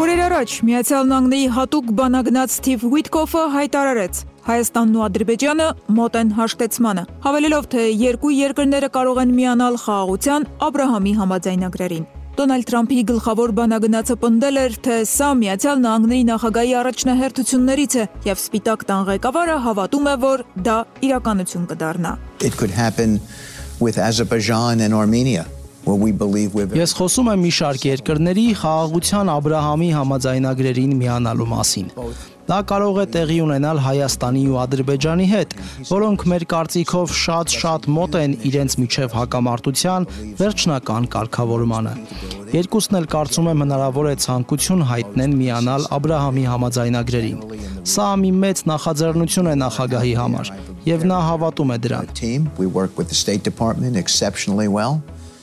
Օրեր առաջ Միացյալ Նահանգների հատուկ բանագնաց Սթիվ Ուիտկոֆը հայտարարեց. Հայաստանն ու Ադրբեջանը մոտ են հաշտեցմանը, հավելելով, թե երկու երկրները կարող են միանալ խաղաղության Աբրահամի համաձայնագրերին։ Դոնալդ Թրամփի գլխավոր բանագնացը պնդել էր, թե սա Միացյալ Նահանգների նախագահի առաջնահերթություններից է, եւ Սպիտակ տան ղեկավարը հավատում է, որ դա իրականություն կդառնա։ It could happen with Azerbaijan and Armenia. Ես խոսում եմ մի շարք երկրների խաղաղության Աբրահամի համաձայնագրերին միանալու մասին։ Դա կարող է տեղի ունենալ Հայաստանի ու Ադրբեջանի հետ, որոնք մեր կարծիքով շատ մոտ են իրենց միջև հակամարտության վերջնական կարգավորմանը։ Երկուսն էլ կարծում եմ հնարավոր է ցանկություն հայտնեն միանալ Աբրահամի համաձայնագրերին։ Սա մի մեծ նախաձեռնություն է նախագահի համար, եւ նա հավատում է դրան։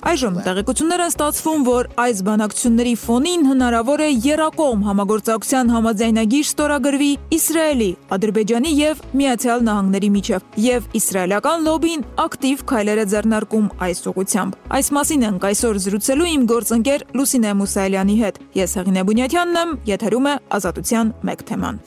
Այժմ տեղեկություններ են ստացվում, որ այս բանակցությունների ֆոնին հնարավոր է եռակողմ համագործակցության համաձայնագիր ստորագրվի Իսրայելի, Ադրբեջանի եւ Միացյալ Նահանգների միջև, եւ իսրայելական լոբին ակտիվ քայլեր է ձեռնարկում այս ուղղությամբ։ Այս մասին ենք այսօր զրուցելու իմ գործընկեր Լուսինե Մուսայելյանի հետ։ Ես Հեղինե Բունյաթյանն եմ, եթերում է Ազատության մեկ թեման։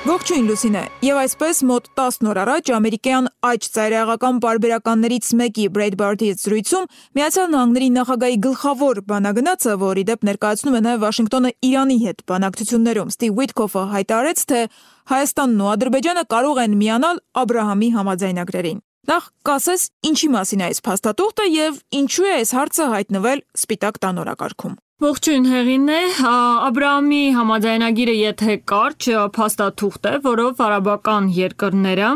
Ողջույն Լուսինե, եւ այսպես մոտ 10 օր առաջ ամերիկյան աջ ծայրահեղական պարբերականներից մեկի Breitbart-ի զրույցում Միացյալ Նահանգների նախագահի գլխավոր բանագնացը, որի դեպ ներկայացնում է նաեւ Վաշինգտոնը Իրանի հետ բանակցություններում, Սթիվ Ուիտկոֆը հայտարարեց, թե Հայաստանն ու Ադրբեջանը կարող են միանալ Աբրահամի համաձայնագրերին։ Նախ կասես, ինչի մասին է այս փաստաթուղթը եւ ինչու է այս հարցը հայտնվել Սպիտակ տան օրակարգում։ Ողջույն Հեղինե, Աբրահամի համաձայնագիրը եթե կարճ փաստաթուղթ է, որով արաբական երկրները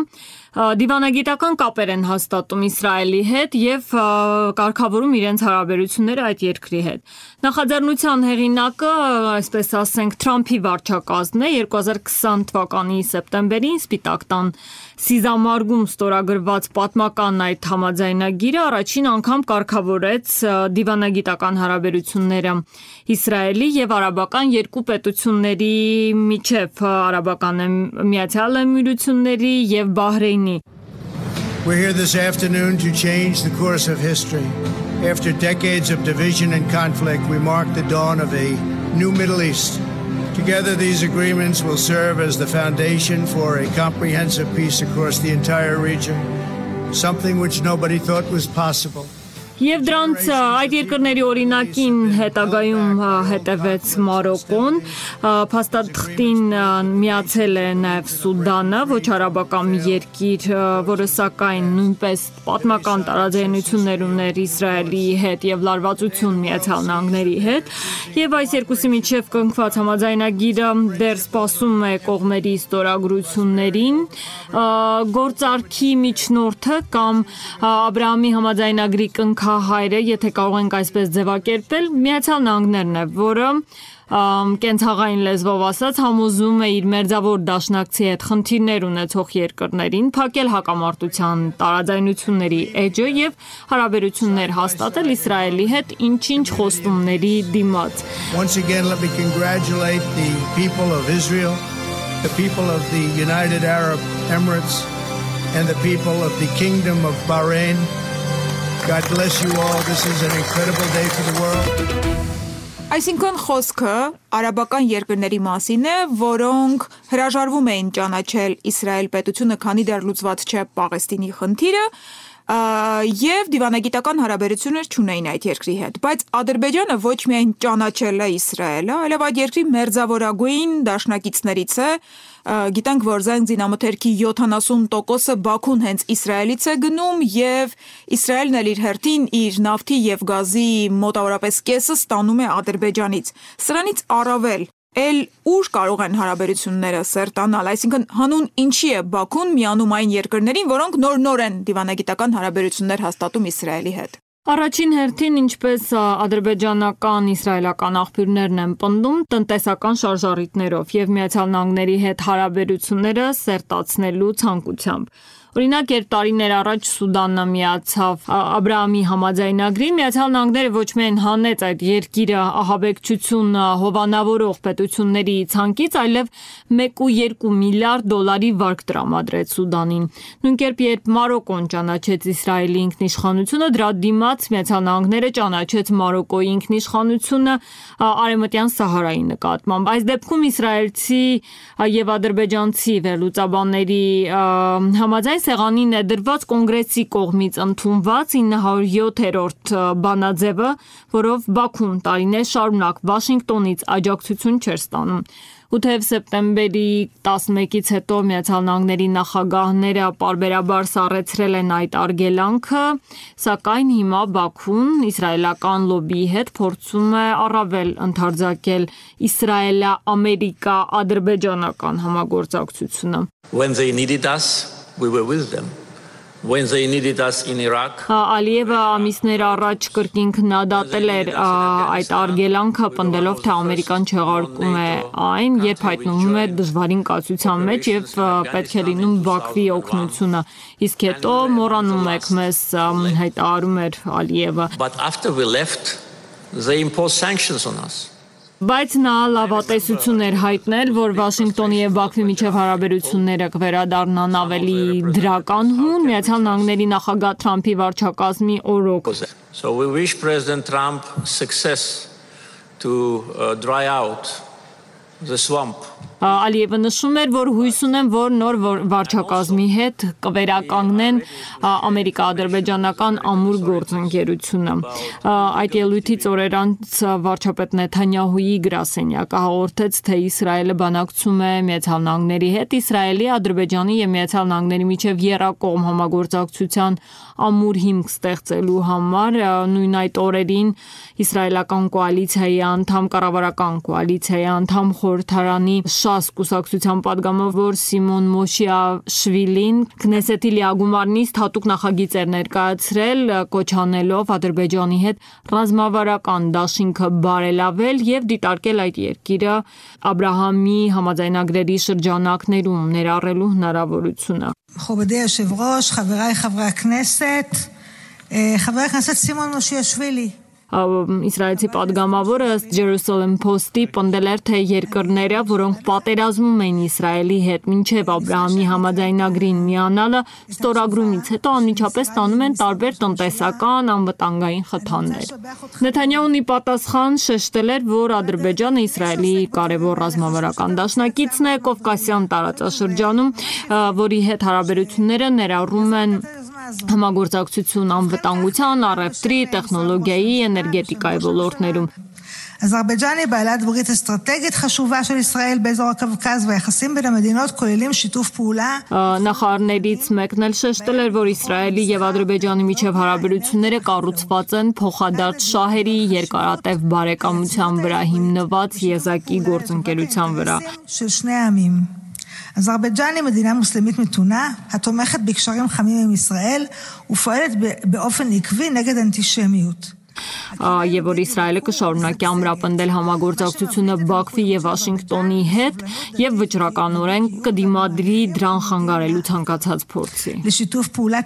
դիվանագիտական կապեր են հաստատում Իսրայելի հետ եւ կարգավորում իրենց հարաբերությունները այդ երկրի հետ։ Նախաձեռնության հեղինակը, այսպես ասենք, Թրամփի վարչակազմն է 2020 թվականի սեպտեմբերին Սպիտակ տան Սիզամարգում ստորագրված պատմական այդ համաձայնագիրը առաջին անգամ կարգավորեց դիվանագիտական հարաբերությունները Իսրայելի եւ արաբական երկու պետությունների միջև, արաբական Միացյալ Էմիրությունների եւ Բահրեյնի։ We're here this afternoon to change the course of history. After decades of division and conflict, we mark the dawn of a new Middle East. Together, these agreements will serve as the foundation for a comprehensive peace across the entire region, something which nobody thought was possible. Եվ դրանց այդ երկրների օրինակին հետագայում հետևեց Մարոկոն, փաստաթղթին միացել է նաև Սուդանը, ոչ արաբական երկիր, որը սակայն նույնպես պատմական տարաձայնություններ ուներ Իսրայելի հետ եւ լարվածություն Միացյալ Նահանգների հետ, եւ այս երկուսի միջև կնքված համաձայնագիրը դեռ սպասում է կողմերի ստորագրություններին, գործարքի միջնորդը կամ Աբրահամի համաձայնագրի հայրը, եթե կարող ենք այսպես ձևակերպել, Միացյալ Նահանգներն է, որը կենցաղային լեզվով ասած համոզում է իր մերձավոր դաշնակցի հետ խնդիրներ ունեցող երկրներին փակել հակամարտության տարաձայնությունների էջը եւ հարաբերություններ հաստատել Իսրայելի հետ ինչ-ինչ խոստումների դիմաց։ Once again, let me congratulate the people of Israel, the people of the United Arab Emirates and the people of the Kingdom of Bahrain. God bless you all. This is an incredible day for the world. Այսինքն խոսքը արաբական երկրների մասին է, որոնք հրաժարվում էին ճանաչել Իսրայել պետությունը, քանի դեռ լուծված չէ Պաղեստինի խնդիրը, եւ դիվանագիտական հարաբերություններ չունեին այդ երկրի հետ, բայց Ադրբեջանը ոչ միայն ճանաչել է Իսրայելը, այլև այդ երկրի մերձավորագույն դաշնակիցներից է։ Գիտենք, որ զենք զինամթերքի 70%-ը Բաքուն հենց Իսրայելից է գնում եւ Իսրայելն էլ իր հերթին իր նավթի եւ գազի մոտավորապես կեսը ստանում է Ադրբեջանից։ Սրանից առավել ուր կարող են հարաբերությունները սերտանալ, այսինքն հանուն ինչի է Բաքուն միանում այն երկրներին, որոնք նոր են դիվանագիտական հարաբերություններ հաստատում Իսրայելի հետ։ Առաջին հերթին, ինչպես ադրբեջանական, իսրայելական աղբյուրներն են պնդում, տնտեսական շարժառիթներով եւ Միացյալ Նահանգների հետ հարաբերությունները սերտացնելու ցանկությամբ։ Օրինակ, երբ տարիներ առաջ Սուդանը միացավ Աբրահամի համաձայնագրին, Միացյալ Նահանգները ոչ միայն հանեց այդ երկիրը ահաբեկչություն հովանավորող պետությունների ցանկից, այլև 1.2 միլիարդ դոլարի վարկ տրամադրեց Սուդանին։ Նույն կերպ, երբ Մարոկոն ճանաչեց Իսրայելի ինքնիշխանությունը, դրա դիմաց Միացյալ Նահանգները ճանաչեց Մարոկոյի ինքնիշխանությունը Արևմտյան Սահարայի նկատմամբ։ Այս դեպքում իսրայելցի եւ ադրբեջանցի վերլուծաբանների համաձայն սեղանին է դրված կոնգրեսի կողմից ընդունված 907-րդ բանաձևը, որով Բաքուն տարիներ շարունակ Վաշինգտոնից աջակցություն չէր ստանում։ Ու թեև սեպտեմբերի 11-ից հետո Միացյալ Նահանգների նախագահները պարբերաբար սառեցրել են այդ արգելանքը, սակայն հիմա Բաքուն իսրայելական լոբիի հետ փորձում է առավել ընդարձակել իսրայելա-ամերիկա-ադրբեջանական համագործակցությունը։ When they needed us, we were with them. When they needed us in Iraq, Ալիևը ամիսներ առաջ կրկին քննադատել էր այդ արգելանքը, պնդելով, թե Ամերիկան չեղարկում է այն, երբ հայտնվում է դժվարին կացության մեջ եւ պետք է լինում Բաքվի օգնությունը։ Իսկ հետո մոռանում եք մեզ հայտարարում էր Ալիևը։ but after we left, they imposed sanctions on us. Բայց նա լավատեսություն էր հայտնել, որ Վաշինգտոնի եւ Բաքվի միջև հարաբերությունները կվերադառնան ավելի դրական, Միացյալ Նահանգների նախագահ Թրամփի վարչակազմի օրոք։ So we wish President Trump success to dry out the swamp. Ալիևը նշում էր, որ հույս ունեն, որ նոր վարչակազմի հետ կվերականգնեն ամերիկա-ադրբեջանական ամուր գործընկերությունը։ Այդ ելույթից օրեր անց վարչապետ Նեթանյահուի գրասենյակը հաղորդեց, թե Իսրայելը բանակցում է Միացյալ Նահանգների հետ Իսրայելի, Ադրբեջանի եւ Միացյալ Նահանգների միջև եռակողմ համագործակցության ամուր հիմք ստեղծելու համար։ Նույն այդ օրերին իսրայելական կոալիցիայի անդամ, կառավարական կոալիցիայի անդամ խորհրդարանի ՇԱՍ կուսակցության պատգամավոր Սիմոն Մոշիաշվիլին Քնեսեթի լիագումարնից հատուկ նախագիծ էր ներկայացրել, կոչանելով Ադրբեջանի հետ ռազմավարական դաշինքը բարելավել եւ դիտարկել այդ երկիրը Աբրահամի համաձայնագրերի շրջանակներում ներառելու հնարավորությունը։ מכובדי היושב-ראש, חבריי חברי הכנסת, חבר הכנסת סימון מושיאשוילי. Իսրայելցի պատգամավորը Jerusalem Post-ի պնդել էր, թե երկրները, որոնք պատերազմում են Իսրայելի հետ մինչև Աբրահամի համաձայնագրին միանալը, ստորագրումից հետո անմիջապես ստանում են տարբեր տնտեսական անվտանգային խթաններ։ Նեթանյահուն ի պատասխան շեշտել էր, որ Ադրբեջանը Իսրայելի կարևոր ռազմավարական դաշնակիցն է Կովկասյան տարածաշրջանում, որի հետ հարաբերությունները ներառում են համագործակցություն անվտանգության, առևտրի, տեխնոլոգիայի, էներգետիկայի ոլորտներում։ אזרבייג'ן היא בעלת ברית אסטרטגית חשובה של ישראל באזור הקווקז והיחסים בין המדינות כוללים שיתוף פעולה. Նախարարներից մեկն էլ շեշտել էր, որ Իսրայելի եւ Ադրբեջանի միջև հարաբերությունները կառուցված են փոխադարձ շահերի երկարատև բարեկամության վրա հիմնված եզակի գործընկերության վրա։ של שני העמים. אזרבייג'ן היא מדינה מוסלמית מתונה, התומכת בקשרים חמים עם ישראל ופועלת באופן עקבי נגד אנטישמיות. Եվ որ Իսրայելը կշարունակի ամրապնդել համագործակցությունը Բաքվի եւ Վաշինգտոնի հետ եւ վճռականորեն կդիմադրի դրան խանգարելու ցանկացած փորձի։ לשיתוף פעולה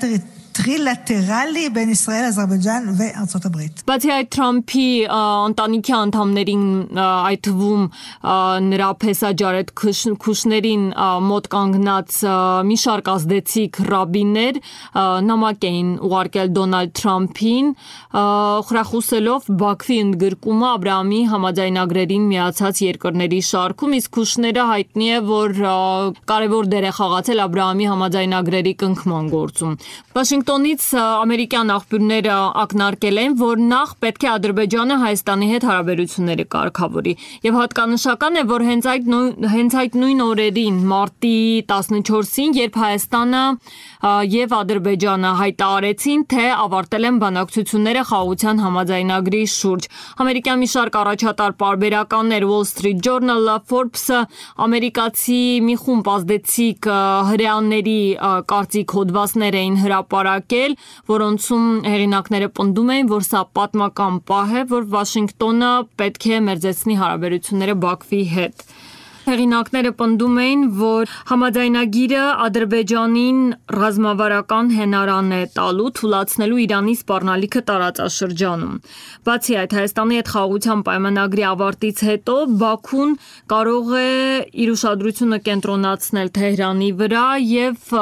טרילטרלי בין ישראל, אזרבייג'ן וארצות הברית. Բացի այդ Թրամփի ընտանիքի անդամներին, այդ թվում նրա փեսաջարետ քուշներին մոտ կանգնած մի շարք ազդեցիկ ռաբիներ նամակ էին ուղարկել Դոնալդ Թրամփին, խրախուսելով Բաքվի ընդգրկումը Աբրահամի համաձայնագրերին միացած երկրների շարքում, իսկ քուշները հայտնի է, որ կարևոր դեր է խաղացել Աբրահամի համաձայնագրերի կնքման գործում։ Վաշինգտոնից ամերիկյան աղբյուրները ակնարկել են, որ նախ պետք է Ադրբեջանը Հայաստանի հետ հարաբերությունները կարգավորի։ Եվ հատկանշական է, որ հենց այդ նույն օրերին, մարտի 14-ին, երբ Հայաստանը եւ Ադրբեջանը հայտարարեցին, թե ավարտել են բանակցությունները խաղաղության համաձայնագրի շուրջ։ Ամերիկյան մի շարք առաջատար պարբերականներ, Wall Street Journal-ը, Forbes-ը, ամերիկացի մի խումբ ազդեցիկ հրեաների կարծիք հոդվածներ էին հրապարակել, որոնցում հեղինակները պնդում էին, որ սա պատմական պահ է, որ Վաշինգտոնը պետք է մերձեցնի հարաբերությունները Բաքվի հետ։ Հեղինակները պնդում էին, որ համաձայնագիրը Ադրբեջանին ռազմավարական հենարան է տալու թույլատնելու Իրանի սպառնալիքը տարածաշրջանում։ Բացի այդ, Հայաստանի հետ խաղաղության պայմանագրի ավարտից հետո Բաքուն կարող է իր ուշադրությունը կենտրոնացնել Թեհրանի վրա եւ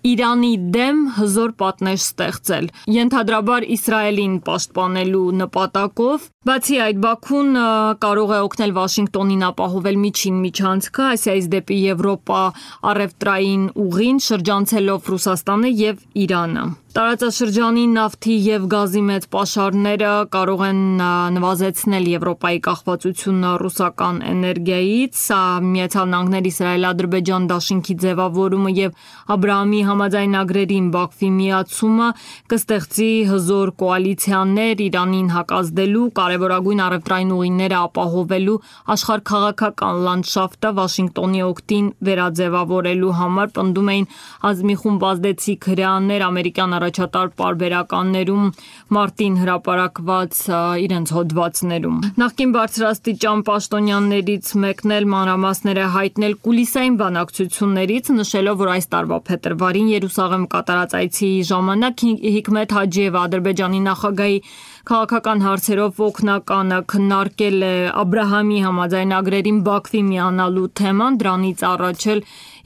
Իրանի դեմ հզոր պատնեշ ստեղծել, ենթադրաբար Իսրայելին պաշտպանելու նպատակով։ Բացի այդ, Բաքուն կարող է օգնել Վաշինգտոնին ապահովել միջին միջանցքը Ասիայից դեպի Եվրոպա առևտրային ուղին, շրջանցելով Ռուսաստանը եւ Իրանը։ Տարածաշրջանի նավթի եւ գազի մեծ պաշարները կարող են նվազեցնել Եվրոպայի կախվածությունը ռուսական էներգիայից, Միացյալ Նահանգներ Իսրայել-Ադրբեջան դաշինքի ձևավորումը եւ Աբրահամի համաձայնագրերին Բաքվի միացումը կստեղծի հզոր կոալիցիաներ Իրանին հակազդելու, կարևորագույն առևտրային ուղիները ապահովելու, աշխարհքաղաքական լանդշաֆտը Վաշինգտոնի օգտին վերաձևավորելու համար, պնդում էին ազգի խումբ ազդեցիկ հրեաներ ամերիկյան առաջատար պարբերականներում մարտին հրապարակված իրենց հոդվածներում։ Նախկին բարձրաստիճան պաշտոնյաներից մեկն էլ մանրամասները հայտնել կուլիսային բանակցություններից, նշելով, որ այս տարվա փետրվարին Երուսաղեմ կատարած այցի ժամանակ Հիկմետ Հաջիևը Ադրբեջանի նախագահի քաղաքական հարցերով օգնականը քննարկել է Աբրահամի համաձայնագրերին Բաքվի միանալու թեման, դրանից առաջ էլ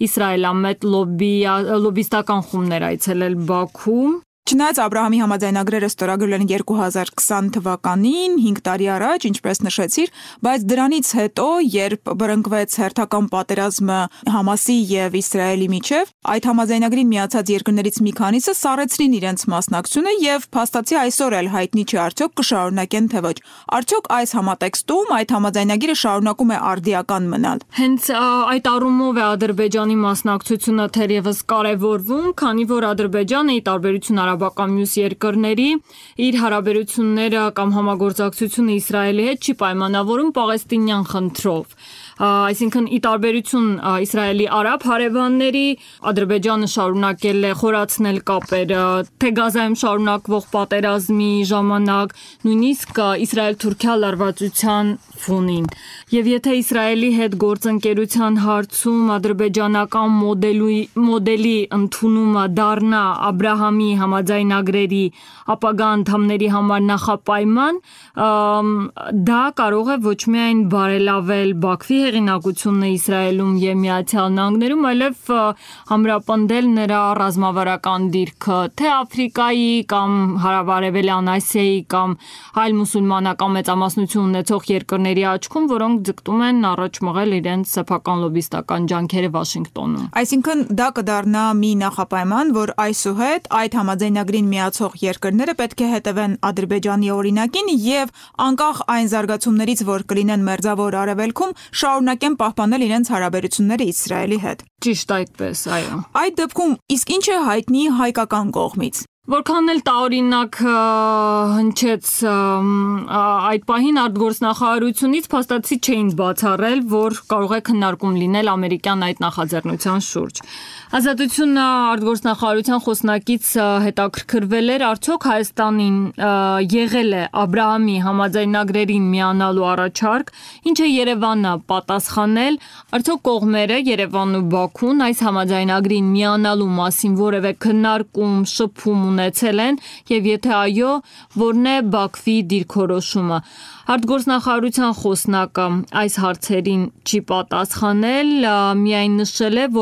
իսրայելամետ լոբիստական խումբներ այցելել Բաքու։ Չնայած Աբրահամի համաձայնագրերը ստորագրվել են 2020 թվականին, 5 տարի առաջ, ինչպես նշեցիր, բայց դրանից հետո, երբ բռնկվեց հերթական պատերազմը Համասի եւ Իսրայելի միջև, այդ համաձայնագրին միացած երկրներից մի քանիսը սառեցրին իրենց մասնակցությունը եւ փաստացի այսօր էլ հայտնի չէ արդյոք կշարունակեն թե ոչ։ Արդյոք այս համատեքստում այդ համաձայնագիրը շարունակում է արդիական մնալ։ Հենց այդ առումով է Ադրբեջանի մասնակցությունը թերևս կարևորվում, քանի որ Ադրբեջանը ի տարբերություն արաբական մյուս երկրների իր հարաբերությունները կամ համագործակցությունը Իսրայելի հետ չի պայմանավորում պաղեստինյան խնդրով։ Այսինքն ի տարբերություն Իսրայելի արաբ հարևանների, Ադրբեջանը շարունակել է խորացնել կապերը թե Գազայում շարունակվող պատերազմի ժամանակ, նույնիսկ Իսրայել-Թուրքիա լարվածության ֆոնին։ Եվ եթե Իսրայելի հետ գործընկերության հարցում ադրբեջանական մոդելի ընդունումը դառնա Աբրահամի համաձայնագրերի ապագա անդամների համար նախապայման, դա կարող է ոչ միայն բարելավել Բաքվի հեղինակությունը Իսրայելում եւ Միացյալ Նահանգներում, այլև համրապնդել նրա ռազմավարական դիրքը թե Աֆրիկայի կամ Հարավարևելյան Ասիայի կամ այլ մուսուլմանական մեծամասնություն ունեցող երկրների աչքում, որոնք ձգտում են առաջ մղել իրենց սեփական լոբիստական ջանքերը Վաշինգտոնում։ Այսինքն դա կդառնա մի նախապայման, որ այսուհետ այդ համաձայնագրին միացող երկրները պետք է հետևեն Ադրբեջանի օրինակին եւ անկախ այն զարգացումներից, որ կլինեն Մերձավոր Արևելքում, շարունակեն պահպանել իրենց հարաբերությունները Իսրայելի հետ։ Ճիշտ այդպես, այո։ Այդ դեպքում իսկ ինչ է հայտնի հայկական կողմից։ Որքան էլ տարօրինակ հնչեց այդ պահին արտգործնախարարությունից փաստացի չէին բացառել, որ կարող է քննարկում լինել ամերիկյան այդ նախաձեռնության շուրջ։ Ազատությունը արտգործնախարարության խոսնակից հետաքրքրվել էր, արդյոք Հայաստանին եղել է Աբրահամի համաձայնագրերին միանալու առաջարկ, ինչ է Երևանը պատասխանել, արդյոք կողմերը Երևանն ու Բաքուն այս համաձայնագրին միանալու մասին որևէ քննարկում, շփում ունեցել են եւ եթե այո, որն է Բաքվի դիրքորոշումը։ Արտգործնախարարության խոսնակը այս հարցերին չի պատասխանել, միայն նշել է, որ